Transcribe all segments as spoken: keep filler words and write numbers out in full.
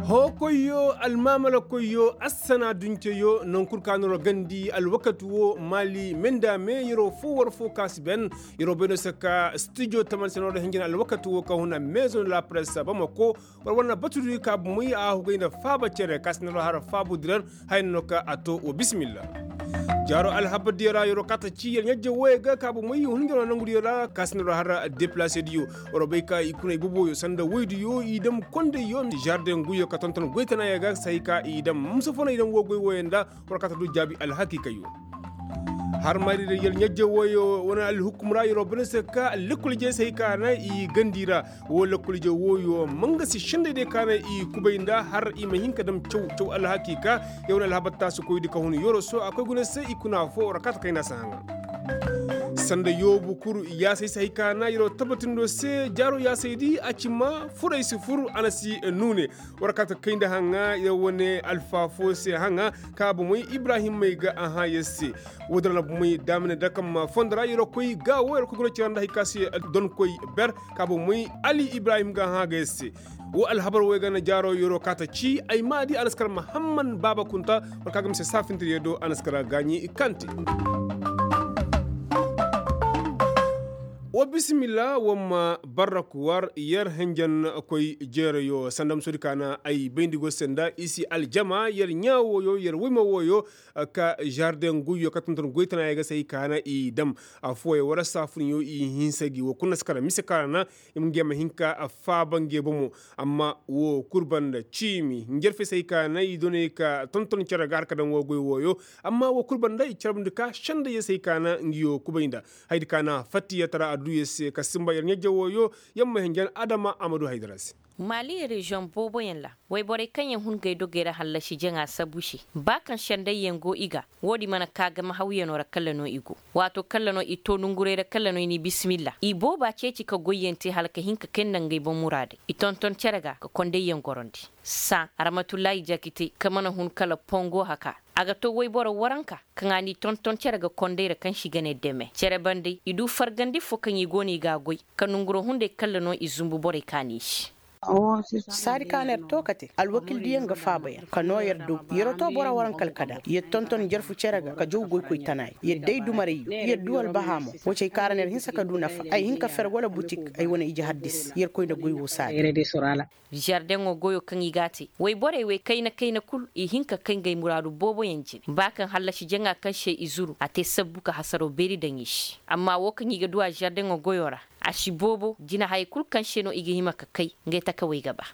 Hookoyyo, almaamalakoyyo, assana dunceyo, nankul ka no ra gandi alwakati wo maali menda me yeroo foo war foo ka si ben. Yeroo bay no se ka stijo taman se no ra hinjin alwakati wo ka huna meezo na lapress bamako. War wane batudi ka bumoy a hugay nda faaba cere ka si no ra har faabu dirar. Haya no ka a to wa bisimilla. Jaaro alhabardiyo ra yeroo ka ta ci yer ɲajje wooyo ga ka bumoy hunjaro nangudiyo ra ka si no ra har deplase diyo. War bay ka i kuna i boboyo sanda woydiyo i dam kondayyo jarden guyyo ka tonton goytanaayo ga sahi ka i dam musa fo no i dam woo goy wooyo nda. War ka ta du jaabi alhakiikayyo. Har mari da yer ɲajje wooyo wane alhukum ra yeroo bane se ka lekkol jey sahi ka na i gandi ra. Woo lekkol jey wooyo ma nga si sendey day ka na i kubay nda har i ma hin ka dam caw caw alhakiika. Yer wane alhabar taasi koydi ka hun yoroso a koy guna se i kuna foo war ka ta kayna si haŋa. Sanda yoobu kuru yaasay si hay ka na yeroo tabbatindoo se jaaroo yaasaydi a ci ma fur ay si fur a na si nuune. War ka ta kay nda haŋa yer wane alfaafoo se haŋa ka bomey ibrahim may ga a hã yer se. Woo din ra na bomey daamine dakam fondo ra yeroo koy gaawo yeroo koy guna cira nda hay ka se donkoy ber ka bomey ali ibrahim ga a hã ga yer se. Woo alhabar wey ga na jaaroo yeroo ka ta ci ay maadi a na si kar mahamman baaba kunta. War ka ga mise saafinta yer do a na si kar gaaɲi kante. Wa bisimilla wa ma barrak war yer henjen koy jeerayo sanda ma soodi ka na ay bayndi go se nda i si aljama yer ɲaa wooyo yer woyma wooyo. Ka jarden guyyo ka tonton goytanaayey ga se ay ka na i dam. Affooyey war saafuniyo i hinsa gi wa kulu na si kara mise ka ra na i ma nge ma hin ka faaba nge bomo. Amma woo kul banda ciimi njarfe se ay ka na i doney ka tonton cere ga har ka daŋ woo goy wooyo. Amma woo kul banda i carbundi ka sendey se ay ka na ngiyo kubay nda. Hayadi ka na fattiya tara adduya se ka simba yer ɲajja wooyo. Yamma hinjan adama a ma du haydara se. Maali reziyoŋ booboyaŋ ra wayborey kaŋ yaŋ hun ga ay dogey ra hallasi jaŋa sabu se ba kaŋ sendayyaŋ go i ga. Woodin mana ka game hawyanoo ra kalla no i go. Waato kalla no i to nonguray ra kalla no i n'i bisimilla i booba ceeci ka goyyaŋ te hala ka hin ka kay nda ngey boŋ muraadey i tonton cere ga ka kondayyaŋ gorondi. Saa aramatulaahi jakite ka mana hun kala pongo haka. A ga to wayboro waranka kaŋ a n'i tonton cere ga konday ra kaŋ se i ga ne deme cere bande i du fargandi fo kaŋ i go no i g'a goy. Ka nonguro hunday kalla no i zumbu borey kaani i se. Saadi ka no yer to kate alwakildiyaŋ ga faaba yer ka noo yer dogu yer to boro waranka alkadar yer tonton jarfu cere ga ka jaw goykoy tanaay yer day dumarayyo yer du albahaamo. Woo ci ay kaara no yer hinsa ka du nafa ay hin ka fer wala butik ay wane ije haddis yer koy nda goy woo saadi. Zardeŋo goyo kaŋ i g'a te wayborey wey kayna kayna kul i hin ka kay ngey muraadu booboyaŋ jine ba kaŋ hallasi jaŋa kaŋ se i zuru a te sabbu ka hasaroo beeri daŋ i se. Amma woo kaŋ i ga du a zardeŋo goyo ra a si boobo jinahayey kul kaŋ se no i ga hima ka kay ngey takawey ga ba.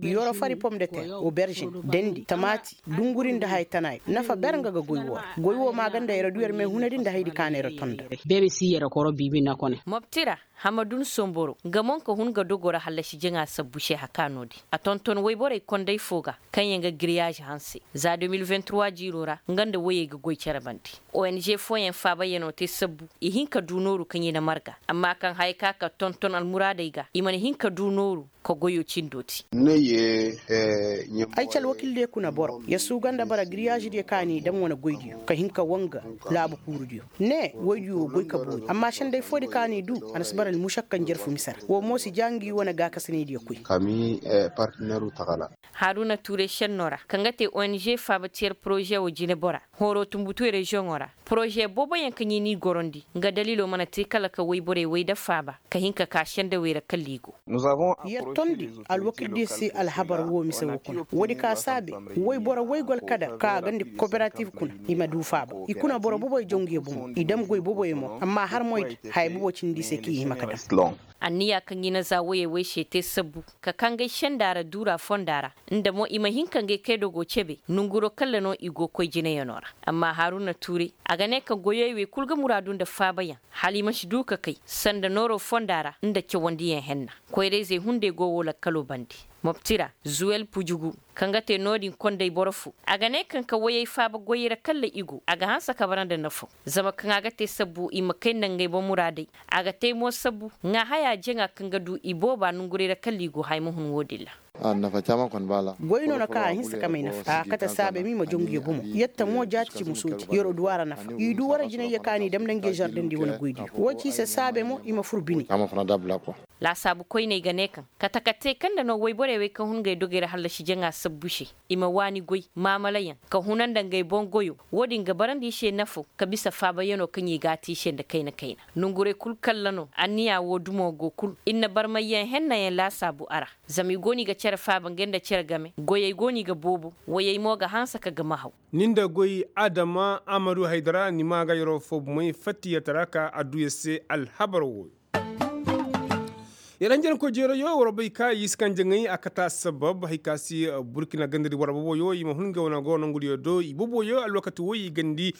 Yoro fari pom de ter, oberžin, dendi, tamaati, dunguri nda haya tanaay nafa ber nga ga goy woo ra. Goy woo maaganda yer du yer meehunadi nda hayadi ka na yer tonda. Mobti ra hamadun somboro nga mo nga hun ga dogo ra hallasi jaŋa sabbu se haka no-din a tonton woyborey konday fo ga kaŋyaŋ ga giriyaazi hanse za deux mille vingt trois jiiroo ra nga nda woyey ga goy cere bande. Ong fooyaŋ faabayanoo te sabbu i hin ka du nooru kaŋ i na marga amma kaŋ haya ka ka tonton almuraadey ga i mana hin ka du nooru ka goyoo cindoo te. Ay ci alwakildiyo kuna boro yer suuga nda bara giriyaazidiyo kaŋ a n'i daŋ wane goydiyo ka hin ka wanga laabu kuurudiyo. Ne woydiyo goy ka boori amma senday foodi kaŋ a n'i du a na si bara almušakka njarfu mise ra woo mo si ja ngi wane gaakasinaydiyo koy. Haruna tuure šennoo ra kaŋ ga te ong faaba tiyer porože woo jinebora horo tunbutu reziyoŋoo ra porože booboyaŋ kaŋ i n'i gorondi nga daliloo mana te kala ka woyborey woy nda faaba ka hin ka ka sendawey ra kala i go. Yer tondi alwakildiyo se alhabar woo mise woo kuna woodi ka saabe woyboro woy go alkadar ka a gandi kooperatif kuna i ma du faaba i kuna boro boboy jaw ngi bomo i dam goy boboy mo amma har moydi haya bobo cindi i se kaŋ i hima ka dam. Anniya kaŋ i na za woyey woy se te sabbu ka kangay senda ra duura fonda ra nda mo i ma hin ka ngey kay dogo cebe nonguroo kalla no i go koy jineyanoo ra. Amma haruna tuuray a ga ne ka goyey wey kul ga muraadu nda faabayaŋ hala i ma si du ka kay sanda nooroo fonda ra nda cawandiyaŋ henna. Koyrayzey hunday go woo lakkaloo bande mobti ra zuwel pujugu kaŋ ga te no-din konday boro fo a ga ne kaŋ ka woyey faaba goyey ra kalla i go a ga hanse ka bara nda nafaw zama kaŋ a ga te sabbu i ma kay nda ngey boŋ muraadey. A ga te mo sabbu ŋaahayaa jaŋa kaŋ ga du i booba nongurey ra kalla i go haya ma hun woo-din ra. Goy no na ka a hinsa ka may nafa a kate saabe ma i ma jongu ya bomo. Yatta mo jaati ci musooti yero du a ra nafa i du wara jinay ya ka ni dam nda ngey zardendi wane goydiyo wo ci i se saabe mo i ma fur bine. Laasaabu koyney ga ne kaŋ kate ka te kaŋ nda no woyborey wey kaŋ hun ngey dogey ra hallasi jaŋa sabbu se i ma waani goy maamalayaŋ ka huna nda ngey boŋ goyo. Wo-din ga barandi i se nafo ka bisa faabayanoo kaŋ i g'a te i se nda kayna kayna. Nonguray kul kalla no anniya wo dumo go kul ir na barmayyaŋ hennayaŋ laasaabu a ra. Zama i go no i ga cere faaba ngey nda cere game goyey go no i ga boobo. Woyey mo ga hanse ka gama haw. Ni nda goy adama amadu haydara ni maa ga yeroo foo bomey fattiyatara ka adduya se alhabar wooyo. Yer hanjankoy jeerayoo war bay ka i si kaŋ jaŋay a kate assabab hay ka se burkina gandadi war boboyoo i ma hun ngey wane go nongudiyo do i boboyoo alwakati woy i gandi.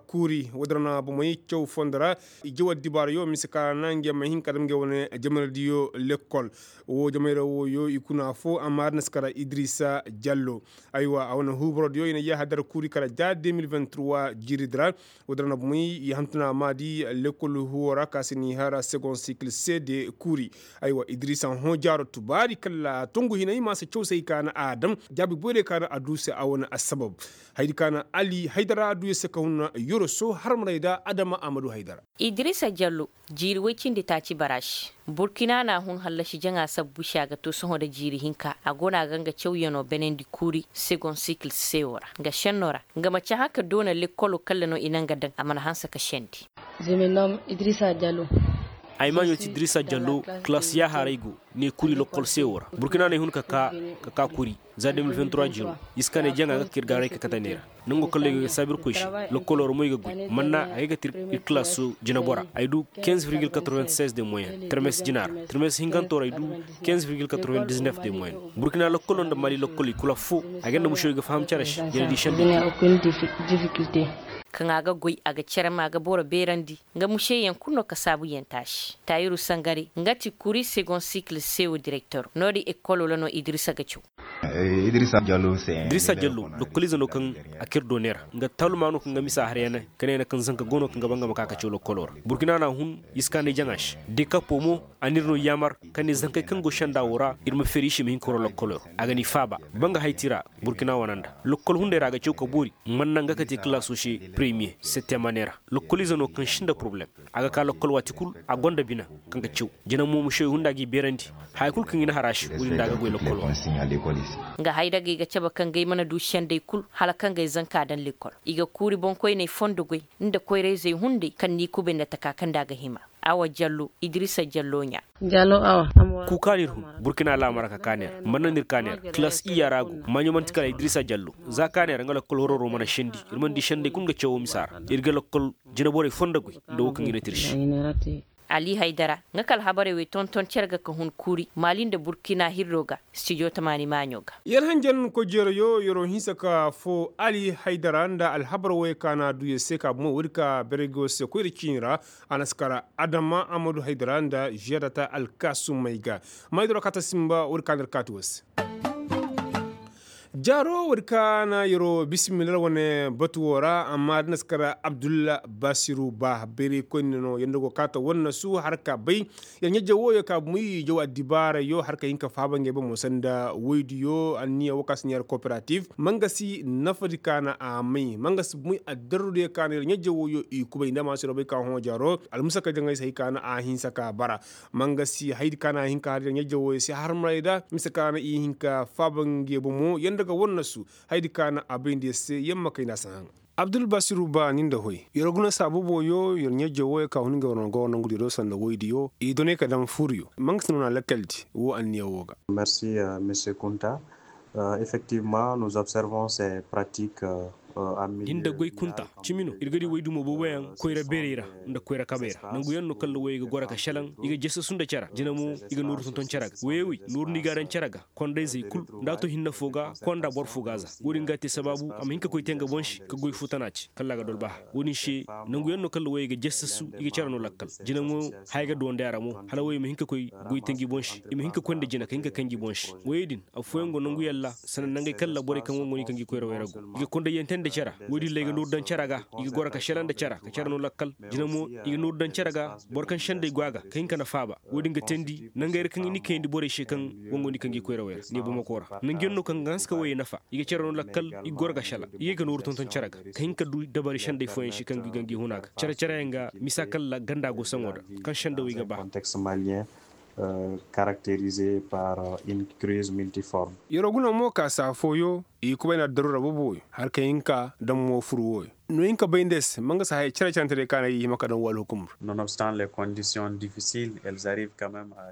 Kuuri woodin ra na bomey caw fondo ra. I jaw addibaarayoo mise ka ra na ngey ma hin ka dam ngey wane jamanadiyo lekkol. Woo jamayra wooyoo i kuna affoo amma a dina si kara idirisa jallo. Aywa a wane huuborodiyo i na yaaha dara kuuri kala ja deux mille vingt trois jiiridi ra. Woodin ra na bomey i hantum na a maadi lekkol huuwo ra ka se n'i har segon sikil se de kuuri. Aywa idirisa hõ jaaro tubaari kala tongu hinay ma si caw se hay ka na a dam jaabi boyray ka na a du se a wane assabab. Hayadi ka na ali haydara a du ya se ka hun yoroso harmaray nda adama amadu haydara. Idirisa jallo jiiri woy cindi taaci bara se. Burkina na a hun hallasi jaŋa sabbu se a ga to sohõ nda jiiri hinka a go no a ga nga cawyanoo benandi kuuri segon sikil sewo ra nga šennoo ra. Nga ma cahã ka doona lekkolo kalla no i na nga daŋ a mana hanse ka sendi. Ay maaɲo ti idirisa jallo. Kalaas yaaharay go ne kuuri lokkol sewo ra burkina no ay hun ka kaa ka kaa kuuri. Za deux mille vingt trois jiiro i si kaa ne jaŋa ga ka ir gaaray ka kate ne ra. Nango kala ay ga saabu ir koy se. Lokkoloo ra mo ay ga goy manna a ga ay ga te ir kilaaso jinabora ay du. Quinze virgil quatre-vingt-seize de moyen termes jina ra termes hinkanto ra ay du. Quinze virgil quatre-vingt-dix-neuf de moyen. Burkina lokkoloo nda mali lokkoloo i kul affoo. A ga nda mušey ga faham cere se jina di sendey. Kaŋ a ga goy a ga cere ma a ga boro beerandi. Nga mušeyyaŋ kul no ka saabuyaŋ taasi taayiru sangare nga ti kuri segon sikil sewo direktor no-din ekkoloo ra no idirisa ga caw. Idirisa jallo lokkoliize no kaŋ a kir doone ra. Nga taaluma no kaŋ ga misa har yana ka ne na kaŋ zanka go no kaŋ ga ba nga ma ka ka caw lokkoloo ra. Burkina na a hun i si ka ne jaŋa se dekapo mo. A n'ir no yaamar ka ne zankey kaŋ go senda woo ra ir ma feeri i se i ma hin ka wara lokkoloo ra. A ga n'i faaba ba nga hay ti ra. Burkina wane nda lokkol hunday ra a ga caw ka boori. Man naŋ ga ka te kilaasoo se premiye settemaneera. Lokkoliize no kaŋ si nda poroblem. A ga ka lokkol waati kul a gonda bina kaŋ ga caw. Jina mo mušey hunda g'i beerandi haya kul kaŋ i na har a se wo-din nda a ga goy lokkol. Nga haydagey ga cabe kaŋ gay mana du sendey kul hala kaŋ gay zanka daŋ lekkol. I ga kuuri boŋkoyney fondo goy nda koyrayzey hunday kaŋ n'i kubay nda taka kaŋ nda a ga hima. Awa jallo idirisa jallo ɲaa. Kuuka no ir hun burkina laamara ka kaa ne ra man naŋ ir kaa ne ra kilaas iyya ra go maaɲo man'ti kala idirisa jallo. Za kaa ne ra nga lokkol hororo mana sendi ir mana di sendey kul nga cawoo misa ra. Ir ga lokkol jinaborey fondo goy nda woo kaŋ i na tirsi. Ali haydara nga ka alhabarey wey tonton cere ga ka hun kuuri maali nda burkina hirro ga. Stijo tamaani maaɲo ga. Yer hanjankoy jeerayo yeroo hinsa ka foo ali haydara nda alhabar wey ka na a duu yer se ka bomo woodi ka berey go se koyra ciini ra. A na si kara adama amadu haydara nda ziyadata alkaasumey ga. Maydoro kaata simba woodi ka na ir kaati woo se. Jaaro woodi ka na yeroo bisimila ra wane batu woo ra amma da na si kara abdulla basiru ba bayraykoyne no yer nda go kaata wannasu har ka bay. Yer ɲajja wooyo ka bumey jaw addibaarayo har ka hin ka faaba ngey bomo sanda woydiyo anniya woo ka si ɲaari kooperatif. Mangasi nafadi ka na a may mangasi bumey addarrudiyo ka na yer ɲajja wooyo i kubay nda maasiroo bay ka hõ jaaro. Almusaka jaŋay se hay ka na a hinsa ka bara. Mangasi haydi ka na a hin ka har yer ɲajja wooyo se harmaray da mise ka na i hin ka faaba ngey bomo yer nda ga wannasu. Haydi ka na a bay nda yer se yer ma kay nda a si haŋ. Abdul basiru ba ni nda hoy yer guna saabu booyo yer ɲajjo wooyo ka hun ngey war no go war nangu diyo sanda woydiyo i doney ka daŋ fuuriyo. Mangasi no na lakkal di woo anniya woo ga. Merci monsieur kunta. Effectivement nous observons ces pratiques. Din da goy kunta cimi no ir ga di woy dumo booboyaŋ koyra beerey ra nda koyra kabey ra nanguyaŋ no kala woyey ga goro ka šelaŋ. I ga jesesu nda cere jina mo i ga nooru tonton cere ga woyey wey nooru no i ga a daŋ cere ga. Kondayzey kul nda a to hinne foo ga konda boro foo ga a za. Wo-din ga a te sabaabu a ma hin ka koy te nga boŋ se ka goy foo tana ce kala a ga dolbaha. Wo-din se nanguyaŋ no kala woyey ga jesesu i ga cere no lakkal. Jina mo haya ga duwandi a ra mo hala woyey ma hin ka koy goy te ngi boŋ se i ma hin ka koy nda jina ka hin ka kay ngi boŋ se. Woyey din affooyaŋ go nanguyaŋ ra sanda nangey kala borey kaŋ wo go no i kaŋ gi koyra wey ra go i ga kondayyaŋ te nda. Cere woodin ra i ga nooru daŋ cere ga. I ga goro ka sela nda cere ka cere no lakkal. Jina mo i ga nooru daŋ cere ga. Boro kaŋ senday go a ga ka hin ka na faaba. Woodin ga teendi nangey ra kaŋ i na kayandi borey se kaŋ wangu ni kaŋ ga i koyra wey ra ne bamako ra. Nangu yaŋ no kaŋ ga hanse ka woyey nafa i ga cere no lakkal. I ga goro ga sela i ga ay ka nooru tonton cere ga ka hin ka du dabari senday fooyaŋ se kaŋ ga i ga ngi huna ga cere cere yaŋ ga misa kaŋ ra ganda go saŋo da kaŋ senda wey ga ba. Karakterize par une crise multiforme. Yeroo guna mo ka saa fooyo i kubay nda daruura boobo wey har ka hin ka daŋ mo fur wooyo. No hin ka bay nda ay se ma nga si haya cere-cerentey day ka na i hima ka daŋ woo alhukumur.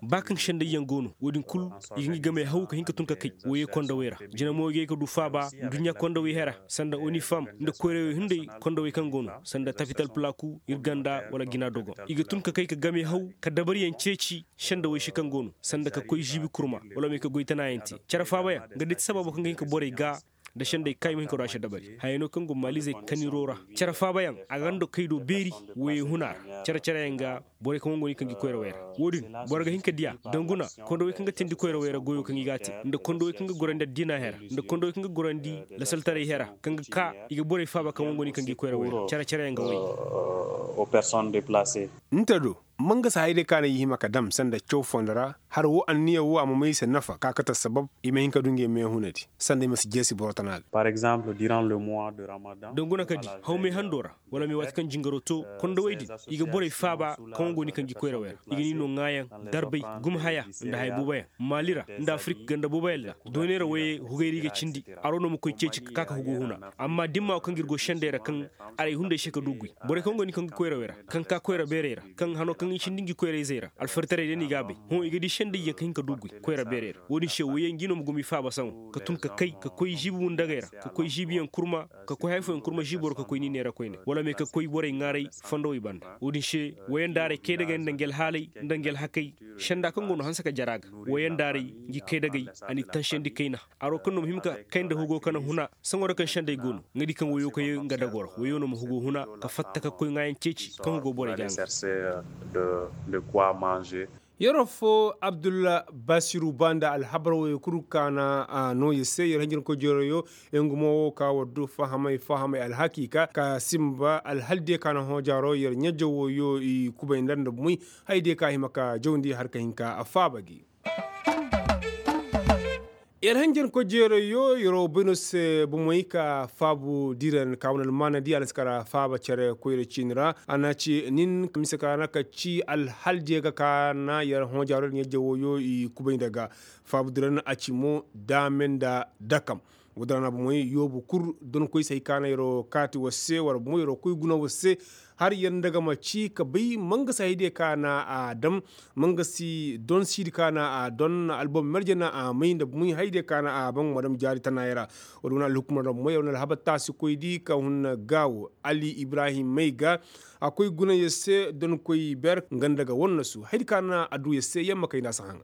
Ba kaŋ senday yaŋ go no woodin kul i ga ngi gamey haw ka hin ka tun ka kay woyey kondawey ra. Jina mo i ga ay ka du faaba nduɲɲa kondawey hera sanda onifam nda koyrawey hunday kondawey kaŋ go no sanda tapital palaku ir ganda wala gina dogon i ga tun ka kay ka gamey haw ka dabariyaŋ ceeci. Sendawey se kaŋ go no sanda ka koy žiibi kurma wala ma i ka goy tanaayaŋ te cere faabayaŋ nga day ti sababo kaŋ ga hin ka borey ga nda sendey kaay ma hin ka du a se dabari hayey no kaŋ go maalizey kaniroo ra. Cere faabayaŋ a ga nda kay do beeri woyey huna ra cere-cereyaŋ ga. Borey kaŋ wangu ni kaŋ ga i koyrawey ra woodin boro ga hin ka diya danguna kondawey kaŋ ga teendi koyrawey ra goyo kaŋ i ga a te nda kondawey kaŋ ga gorandi addiina hera nda kondawey kaŋ ga gorandi lasaltaray hera kaŋ ga ka i ga borey faaba kaŋ wangu ni kaŋ ga i koyrawey ra cere-cereyaŋ ga woy. Nte do mangasa hayadiyo ka na i hima ka dam sanda caw fondo ra har woo anniya woo a ma may i se nafa ka kate assabab i ma hin ka du ngey meehunadi sanda i ma si jeesi boro tana ga. Danguna ka di hawmay hando ra wala may waati kaŋ jingaroo too kondowey din i ga borey faaba kaŋ go ni kaŋ ga i koyra wey ra i ga ni noo ŋaayaŋ darbay gumhaya nda haya booboyaŋ maali ra nda afirik ganda booboyaŋ ra dooney ra woyey hugay ra i ga cindi. Aroo no ma koy ceeci ka ka ka hugoo huna amma dimma woo kaŋ ga ir go sendey ra kaŋ aray hunday se ka du guy borey kaŋ go ni kaŋ ga koyra wey ra kaŋ ka koyra beerey ra kaŋ hanoo kaŋ i cindi ngi koyra-izey ra alfaritaray day no i g'a bay. Hõ i ga di sendayyaŋ ka hin ka du guy koyra beerey ra woo-din se woyey ngi no ma gumi faaba saŋo ka tun ka kay ka koy žiibi wundagey ra ka koy žiibiyaŋ kurma ka koy haya fooyaŋ kurma žiiboro ka koy ni neera koyne wala me ka koy borey ŋaaray fondowey banda woo-din se woyandaaray kaydagey nda ngi alhaalay nda ngi alhakay. Senda kaŋ go no hanse ka jara ga woyandaaray ngi kaydagey a n'i tansiyandi kayna. Aroo kaŋ no ma hima ka kay nda hugo ka na huna saŋo ra kaŋ sendey go no nga di kaŋ woyoo ka yee nga dagoo ra woyoo no ma hugo huna ka fatta ka koy ŋaayaŋ ceeci kaŋ hugo borey ga a ŋaa. Yeroo foo abdulla basiru ba nda alhabar woyoo kul kaana a noo yer se yer hanjankoy jeerayoo. Yer nga mo woo ka war du fahamay fahamay alhakiika ka sinba alhal diyo ka na hõ jaaroo yer ɲa-jaw woyoo i kubay nda nda bumey. Hay diyo ka hima ka jawndi har ka hin ka faaba gi. Yer hanjankoy jeerayoo yer wo bay no se bomey ka faabu diran ka wane almaanadi a na si kara faaba cere koyra ciini ra a na ci nin mise ka na ka ci alhal diyo ga ka na yer hõ jaaroo yer ɲa-jaw woyoo i kubay nda ga. Faabu diran a ci mo daame nda dakam. Woo din ra na bomey yoobu kul donkoy se hay ka na yer wo kaati war se war bomey yer wo koy guna war se. Har yer nda ga ma ci ka bay mangasi hayadiyo ka na a dam mangasi donsiidi ka na a don albom merje na a may nda bumey hayadiyo ka na a ban ma dam jaari tanaayey ra. Woo din wane alhukumar ra bumey yer wane alhabar taasikoydi ka hun gaawo ali ibrahim may ga. A koy guna yer se donkoy ber nga nda ga wannasu hayadi ka na a du yer se yer ma kay nda a si haŋa.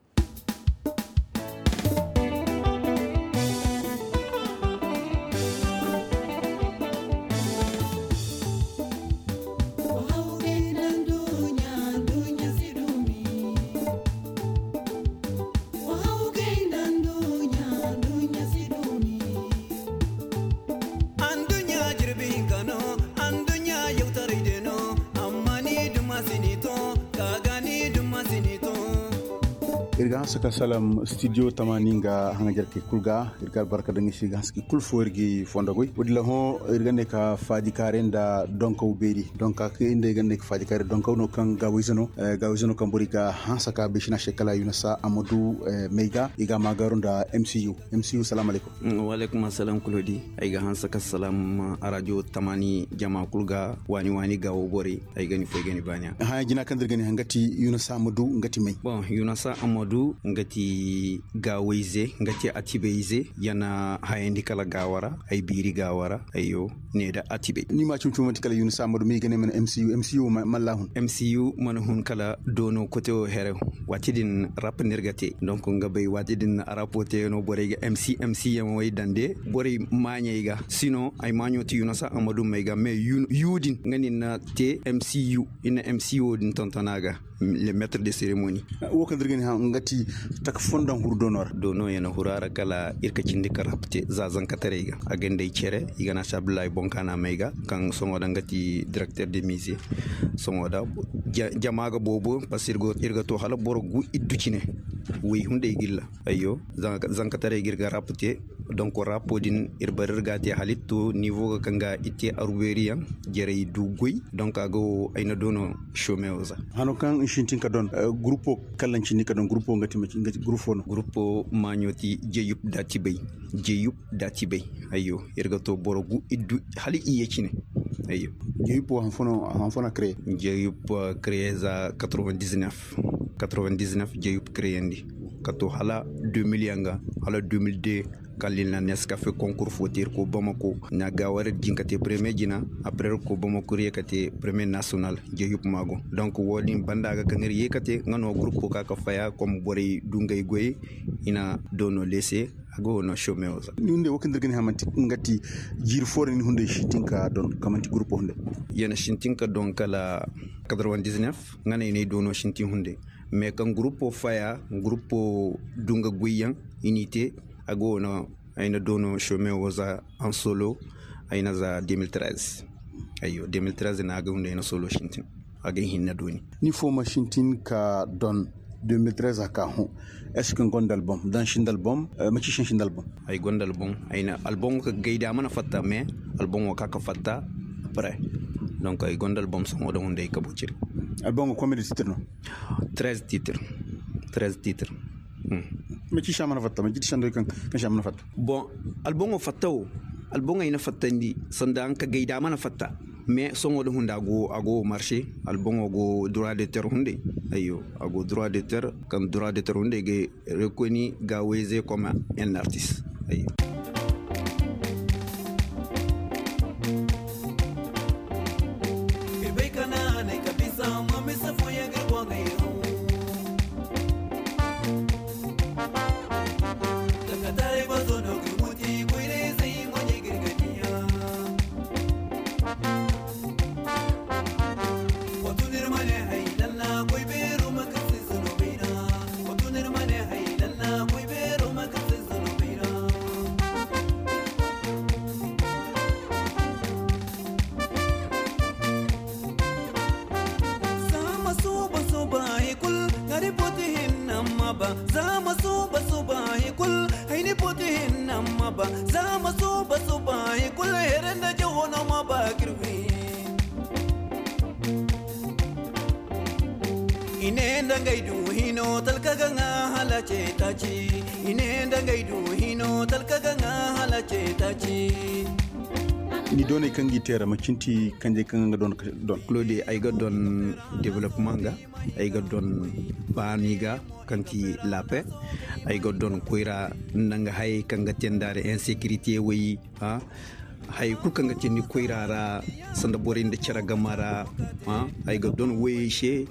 Ir ga hanse ka salam stidiyo tamaani nga haŋajarkey kul ga. Ir ga albarka daŋ i se ga hanse ka i kul foo ir ga i fondo goy woodin ra hõ. Ir ga ne ka faajikaaray nda donkaw beeri donka kaŋ ir nda ay ga ne ka faajikaaray donkaw no kaŋ gaawayze no. Gaawayze no kaŋ borey ga hanse ka bay sina se kala yunasa amadu may ga i ga a maagaaru nda mcu. Mcu salaamu alaykum. Waaleykum assalam kulodi. Ay ga hanse ka salam arajo tamaani jama kul ga waani waani gaawo borey. Ay ga ni fo ay ga ni baani a haya jina kaŋ da ir ga ni haŋ nga ti yunasa amadu nga ti may? Bon yunasa amadu nga ti gaawayze nga ti atibeyze. Ya na hayandi kala gaawa ra ay biiri gaawa ra. Ayyo ne nda atibey ni ma cumcum manti kala yunasa amadu ma i ga ne mana mcu mcu mana hun kala doono kote wo here. Waati din rap no ir ga te donk nga bay waati din rap wo teeyaŋo borey ga mc mc yaŋ wo ay daŋ de borey maaɲey ga sino ay maaɲo ti yunasa amadu may ga mais yu din nga no ir na te mcu ir na mcu wo din tonton a ga. Le metre de seremoni. Wo kaŋ da ir ga ni hã nga ti taka fonda huru doono ra. Doono ya na huru a ra kala ir ka cindi ka rap te za zankataray ga a ga nda ay cere i ga na si abdullahi boŋ ka na may ga kaŋ soŋo da nga ti direkter de mize. Soŋo da jama ga boobo paske ir ga to hala boro gu iddu cine. Wey hunday gilla. Ayyo. Zankataray ga ir ga rap te. Donk rap din ir bar ir ga a te hala ir to nivo ga kaŋ ga ir te arweeriyaŋ. Jarey du goy. Donk a ga wo ay na doono. Somewo za. Hano kaŋ i sintin ka don gurupo. Kallaŋ cindi ka don gurupo nga ti maci nga ti gurupo no gurupo. Maaɲo ti jeyup da tibay. Jeyup da tibay. Ayyo. Ir ga to boro gu iddu hala iyye cine. Ayyo. Jeyup wo hanfo no a kreye. Jeyup kreye za quatre-vingt-dix-neuf. Quatre-vingt-dix-neuf jeyup kreyandi. Ka to hala deux mille yaŋ ga hala deux mille deux. Kala i na neskafe konkur fo te ir ko bamako na gaawara din ka te premier jina. Après ir ko bamako ir ye ka te premier national. Jeyup maago. Donk wo- din banda ga kaŋ ir ye ka te nga no gurupo ka ka faya kom borey du ngey goyey. I na doono leese. A go no somewo za. Ni hunday wo kaŋ da ir ga ni hamanti nga ti jiiri fo ra ni hunday sintin ka don kamanti gurupo hunday. Ya na sintin ka don kala quatre-vingt-dix-neuf. Nga no ay na ay doono sintin hunday. Mais kaŋ gurupo faya gurupo du nga goyyaŋ. I n'i te. A go no ay na doono somewo za. An solo ay na za deux mille treize. Ayyo deux mille treize no a ga hunday ay na solo sintin. A ga ay hinne dooni. Ni fo ma sintin ka don deux mille treize a ka hõ. Est-ce que ni gonda album daŋ sinda album? Maci se ni sinda album? Ay gonda album. Ay na album ka gayda mana fatta mais album wo ka ka fatta. Après donc ay gonda album soŋo da hunday ka bociri. Album wo kome da titre no? Treize titre. Treize titre. Maci se a mana fatta maci ti sando kaŋ se a mana fatta? Bon, alboŋo fatta wo. Alboŋo ay na fattandi sanda nga ka gayda mana fatta. Mais soŋo da hunda a go marché. Alboŋo go droit de terre hunde. Ayyo. A go droit de terre kaŋ droit de terre hunde ga rekoni ga wayze comme un artiste. Ayyo. Zama suba suba hikul hari poti hinna ma ba. Zama suba suba hikul hayni poti hinna ma ba. Zama suba suba hikul herenda jawono ma ba kirwi. I ne nda ngay du hino talka ga ŋa hala ce taci. I ne nda ngay du hino talka ga ŋa hala ce taci. Ni doonay kaŋ g'i te ra ma cinti kanjey kaŋ ga don don. Claude ay ga don development ga. Ay ga don baani ga kaŋ ti lape. Ay ga don koyra nda nga hayey kaŋ ga te nda ra insécurité wey. Haya kulu kaŋ ga te ni koyra ra sanda borey nda cere gama ra. Ay ga don woyey se.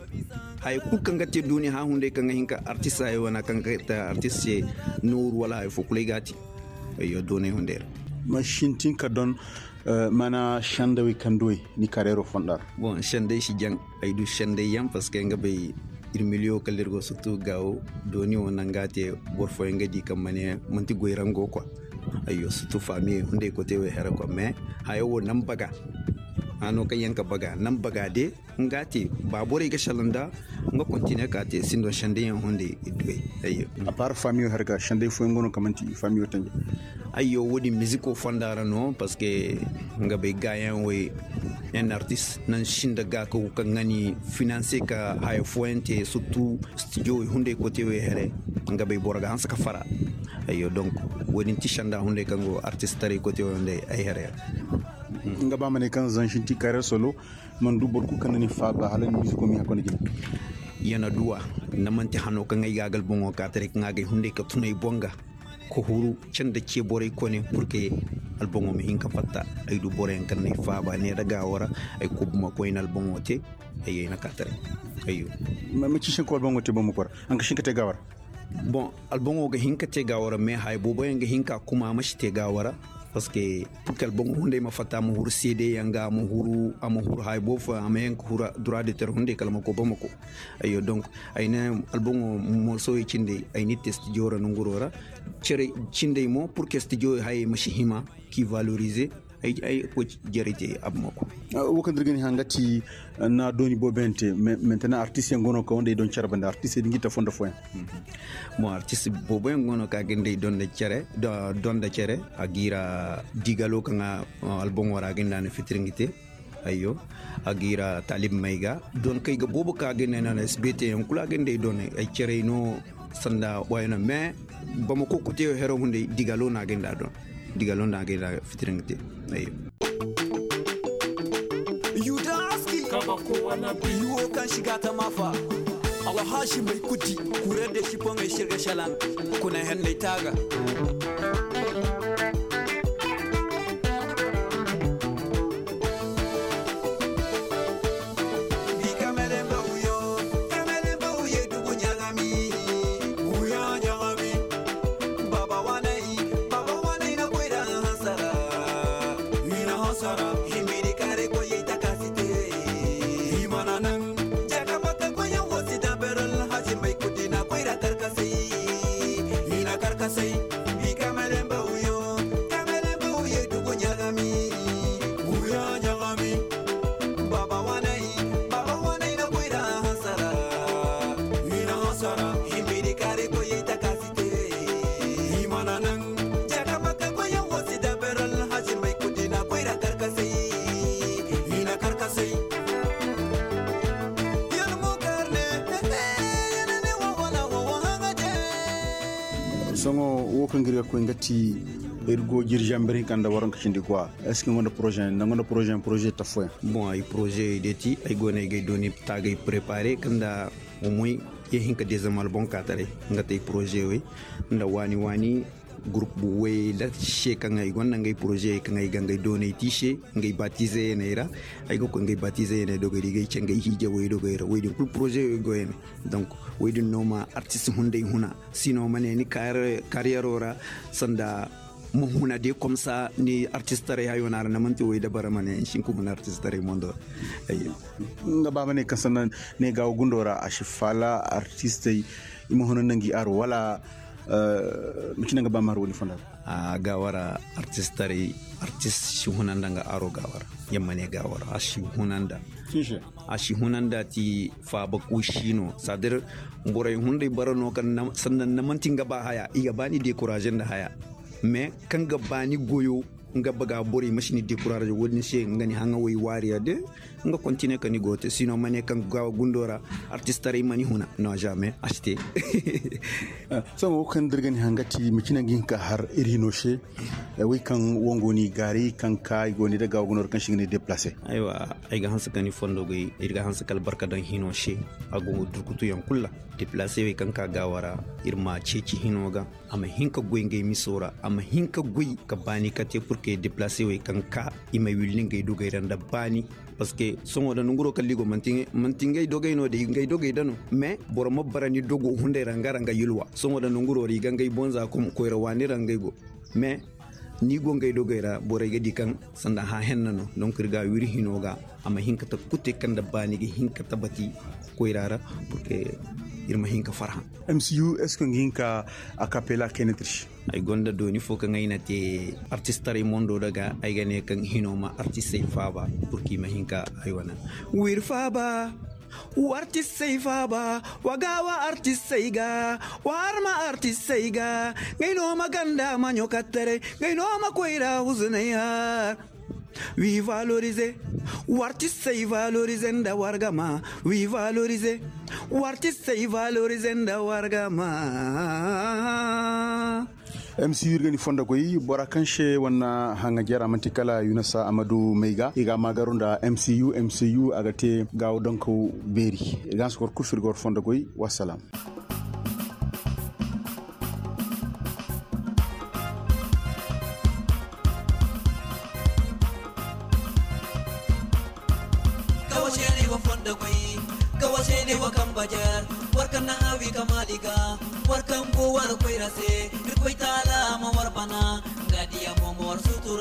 Haya kulu kaŋ ga te duuniya hã hunday kaŋ ga hin ka artist haya wana kaŋ ga te artist se. Nooru wala haya fo kulu ay ga a te. Ayyo doonay hunday ra. Ma sintin ka don mana sendawey kaŋ duwey ni kareero fonda ra. Bon senday si jaŋ. Ay du senday yaŋ parceque nga bay ir miliyo kala ir go surtout gaawo. Dooni wo naŋ ga a te boro fooyaŋ ga di kaŋ ma ne manti goyrango kwa. Ayyo surtout faamiyey hunday kote wey hara kwa mais haya wo naŋ baga. Hano kaŋ yaŋ ka baga naŋ baga de. Nga te ba borey ga sala nda nga kontine ka te sinda senday yaŋ hunday. Idduwey. Ayyo. Apar faamiyo hara ga senday fooyaŋ go no kaŋ manti faamiyo tanja. Ayyo wo- din miziko fonda ra no parceque nga bay gaayaŋ wey. En artist naŋ sinda ga ka wu kaŋ ga ni finanse ka haya fooyaŋ te surtout studio wey hunday kote wey here. Nga bay boro ga hanse ka fara. Ayyo donc wo- din ti senda hunday kaŋ go artist taray kote wey hunday ay here. Nga ba ma ne kaŋ zansinti kareer solo. Man du boro kulu kaŋ na ni faaba hala ni miziko ma hin ka konda jina. Yana duwa nda manti hano kaŋ ay ga a ga alboŋo ka taray kaŋ a ga ay hunday ka tun ay boŋ ga ka huru canda ce borey kone purke. Alboŋo ma hin ka fatta ay du boroyaŋ kaŋ na ay faaba neera gaawo ra. Ay kubu ma koyne alboŋo te. Ay ay na ka taray. Ayyo. Macin se ni ka alboŋo te boŋ ma koy ra? Haŋ ka si hin ka te gaawo ra. Bon alboŋo ga hin ka te gaawo ra mais haya booboyaŋ ga hin ka kuma a ma si te gaawo ra. Parceque purke alboŋo hunday ma fatta a ma huru seedeyaŋ ga a ma huru haya boobo fooyaŋ a ma yaŋ ka huru dura de tere hunday kala ma koy bamako. Ayyo donk ay ne alboŋo morsowey cindey ay n'i te stijo ra nonguroo ra. Cerey cindey mo purke stijo hayey ma si hima k'i valorize. Ay koy jarey te a bamako. Wo kaŋ da ir ga ni haŋ ga ti na dooni booboyaŋ te. Mentena artistey go no kaŋ wanda ay don cere banda artistey da ngi ta fondo fooyaŋ. Bon artist booboyaŋ go no kaŋ a ga nda ay don nda cere a g'i ra digalo kaŋ alboŋo ra a ga nda a na fitir ngi te. Ayyo a g'i ra taalib may ga don kay ga boobo kaŋ a ga nda ay na na sbt yaŋ kulu a ga nda ay don ay cerey no. Sanda wayo no mais bamako koteyo hero hunday digalo no a ga nda a don. Digalo no a ga nda a fitir ngi te. Ayyo. Yudaski. Yuwo kaŋ si ga ta maafa. Alhaasi may kuti kure de si poŋey sirga salaŋ. Kuna henney taaga. Bi kamele mba wuyo. Kamele mba wuyo dugu ɲagami. Wuyo ɲagami. Baba wanay. Baba wanay na koyra hansara. Ina hansara. Himbiri kare koyey takasi. I mana naŋ. Jakamata goyaŋ wo si daberal hasi may kudina koyra karkasay. I na karkasay. I kamelemba wuyo. Kamelemba wuyo dugu ɲagami. Wuyo ɲagami. Baba wanay. Baba wanay na koyra hasara. I na hasara. Himbiri kare koyey takasi. I mana naŋ. Jakamata goyaŋ wo si daberal hasi may kudina koyra karkasay. I na karkasay. Sohõ wo kaŋ ga ir ga koy nga ti ir go jiri zamber hinka nda waranka cindi quoi? Est ce que ni gonda poroze yaŋ ni gonda poroze yaŋ poroze ta fooyaŋ? Bon ay poroze yaŋ day ti ay go no ay ga ay dooni taagay prepare kaŋ nda omoy ye hinka dezem alboŋ kaataray. Nga te ay poroze wey nda waani waani gurup wayey nda se kaŋ ay gonda nga ay poroze kaŋ ay ga nga ay dooney te i se. Nga ay batize yaŋ ay ra ay ga koy nga ay batize yaŋ ay dogey ra i ga ay ce nga ay hiije wey dogey ra wey din kulu poroze wey go yaŋ. Donk wey din no ma artist hunday huna. Sino ma ne ni kariyero ra sanda ma huna de komsa ni artistaray hayo no a ra ni manti wey dabara ma ne ni si hin ka huna artistaray mondo ra. Nga ba ma ne kaŋ sanda ne gaawo gundo ra a si faala artistey i ma huna nda ngi aro wala? Macine nga ba ma har wo ni fonda ra. Gaawo ra artistaray artist si huna nda nga aro gaawo ra. Yamma ne gaawo ra a si huna nda a si huna nda ti faaba kuusi no sadir. Borey hunday bara no kaŋ sanda ni manti nga ba haya i ga ba ni dekuraze nda haya. Mais kaŋ ga ba ni goyo nga baga borey ma si ni dekuraze wo- din se nga ni haŋa wey waari ya de. Nga kontine ka ni go te sino ma ne kaŋ ga gundo ra artistaray ma ni huna no jamais a si te. Sohõ wo kaŋ da ir ga ni haŋ ga ti macine ga hin ka har ir hino se. Wey kaŋ wango ni gaari kaŋ ka i go ni daga wagunor kaŋ si ga ni deplase. Aywa, ay ga hanse ka ni fondo goy ir ga hanse ka albarka daŋ hino se. A go durkutuyaŋ kulu ra deplase wey kaŋ ka gaawa ra ir ma ceeci hino ga. A ma hin ka goy ngey miso ra a ma hin ka goy ka baani kate purke deplase wey kaŋ ka i ma willi ngey dogey ra nda baani. Parceque sohõ da nonguro kala i go manti ngey dogey no da i ga ngey dogey da no. Mais boro ma bara ni dogo hunday ra nga ra nga yulwa sohõ da nonguro ra i ga ngey bonza koyra waani ra ngey go. Mais ni go ngey dogey ra borey ga di kaŋ sanda hã henna no donk ir ga wiri hino ga. A ma hin ka ta kute kaŋ nda ba ni ga hin ka tabati koyra ra. Purke ir ma hin ka farhã. Mcu est ce que nga hin ka a kapela kayna tirsi? Ay gonda dooni fo kaŋ ay na te artistaray mondo daga ay ga ne kaŋ hino ma artistey faaba. Purke i ma hin ka ay wane wir faaba. Wartisey faaba wa gaawa artisey ga wa harma artisey ga. Ngey no ma ganda maɲo kattaray ngey no ma koyra huzunay har. Wi valorize wartisey valorize nda wargama. Wi valorize wartisey valorize nda wargama. Mcu ir ga ni fondo goy bora kaŋ se wane haŋajer a manti kala yunasa amadu may ga i ga a maagaru nda mcu mcu a ga te gaawo donkaw beeri. I ga hanse kor kul fir ga war fondo goy. Wassalam. Kawa seeney wa kamba jer war kaŋ na haawi ka maali ga war kaŋ go war koyra se. Irkoy taala ma war bana nga diya mo ma war sutu.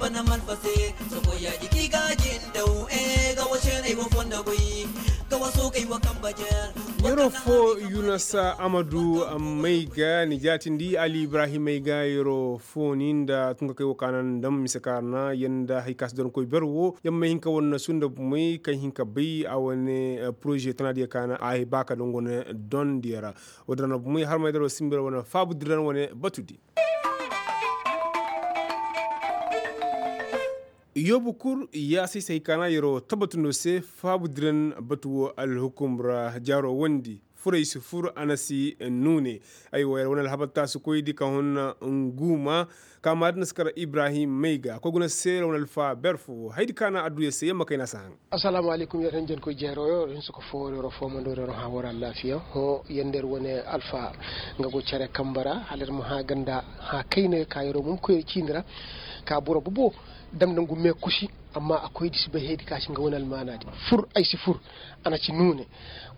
Wane malfa se sokoyaaji k'i ga jindaw ee ga wa seeney wa fondo goy ga wa sookey wa kamba jeer. Yeroo foo yunasa amadu may ga ni jaatindi ali ibrahim may ga yeroo foo ni nda tunkakey wo ka na ndam mise kaarna yer nda hari ka si doronkoy ber wo yer may hin ka war na sunda bumey kaŋ hin ka bay a wane poroze tanaadiyo ka na a ba ka dongo ne dondiyo ra. Wo- din ra na bumey harmay daro simbi ra wane faabu diran wane batu di. Yoobu kul yaasay se hay kaana yeroo tabbatundoo se faabu diran batu woo alhukum ra jaaroo wondi furey si fur a na si nuune. Ay woo yer wane alhabar taasikoydi ka hun nguuma ka maadin si kar ibrahim may ga koy guna se yer wane alfa ber foo haydi kaana adduya se yer ma kayna si haŋ. Assalaamu alaykum yer hinjankoy jeeroo yoo yer hinsa ka foo war yeroo foo ma nda war yeroo hã war allaafiya hõ yer nda yer wane alfa nga go cere kambe ra hala yer ma hã ganda hã kayna ka yeroo mumkoyri ciini ra. Ka boro bobo dam nda ngu meekusi. Amma a koydi si bay haydi ka si nga wane almaanaadi fur ay si fur. A na ci nuune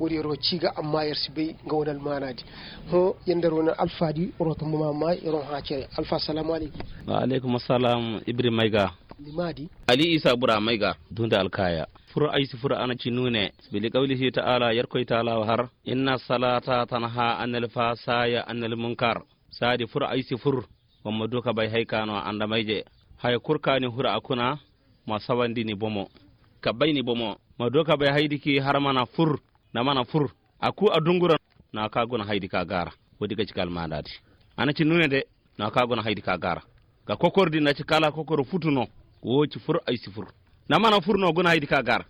woodi yeroo cii ga amma yer si bay nga wane almaanaadi. Hõ yer nda yer wane alfaadi roota muma amma yeroo hã cere alfa assalaamu alaykum. Wa alaykum assalam ibri may ga. Ni maadi. Ali isa bura may ga. Dundi alkaaya fur ay si fur a na ci nuune. Bili kawli si taala yerkoy taala wa har inna salata tanha anil fasaya anil munkar. Saadi fur ay si fur. Wa ma du ka bay hay ka no andamayje haya kul ka ni hur a kuna. Ma sawandi ni bomo ka bay ni bomo. Ma du ka bay haydi ki har mana fur. Na mana fur a ku a dungura. Na ka guna haydi ka gaara. Woodi ga ci ka almaandaadi. A na ci nuune de. Na ka guna haydi ka gaara. Ga kokordi na ci kala kokoro futu no. Woo ci fur ay si fur. Na mana fur no guna haydi ka gaara.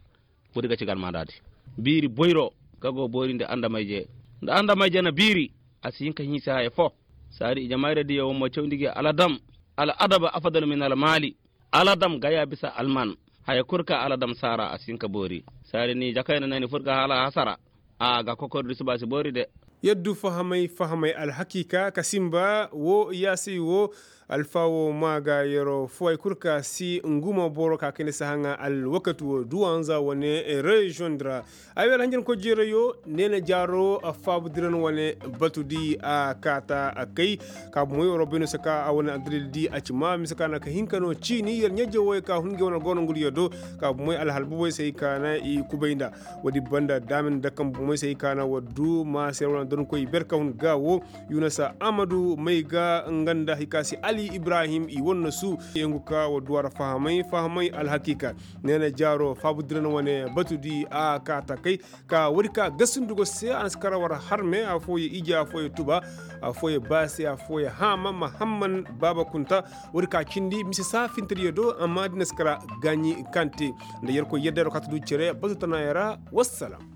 Woodi ga ci ga almaandaadi. Biiri boyro ka go boori nda andamayje. Nda andamayje na biiri. A si hin ka hinsa haya foo. Saadi ijamayradiyo wo ma cawndi gi aladam. Al adaba afadal min almaali. Aladam ga ya bisa alman. Haya kul ka aladam saara a si hin ka boori. Saadi ni jakayna na ni fur ga hala hasara. A ga kokordi suba si boori de. Yaddu fahamay fahamay alhakiika ka sinba woo yaasay woo. Alfa woo maa ga yeroo foo hay kul ka si nguma boro ka kayndi si haŋa alwakati woo duwanza wane reziyoŋ di ra. Ay wer hanjankoy jeerayo neena jaaro faabu diran wane batu di a kaata kay. Ka bumoy waro bayno si ka a wane addalil di a ci maa mise ka na ka hin ka no ciini yer ɲa-ije wooyo ka hun ngey wane goonangudiyo do. Ka bumoy alhalbubey se hay ka na i kubay nda woodi banda daamina dakan bumoy se hay ka na war du maa se yer wane donkoy ber ka hun ga woo. Yunasa amadu may ga nga nda hay ka se ali ibrahim i wane na su. Yengu ka war du a ra fahamay fahamay alhakiika. Neena jaaro faabu diran wane batu di a kaata kay. Ka woodi ka gasi ndugo se a na si kar war harme afooyaŋ ije afooyaŋ tuba. Afooyaŋ baase afooyaŋ haama mahamman baaba kunta. Woodi ka cindi mise saafintediyo do amma da i na si kar gaaɲi kaŋ te nda yerkoy yadda yer wo kaŋ a ta du cere batu tanaayaŋ ra. Wassalam.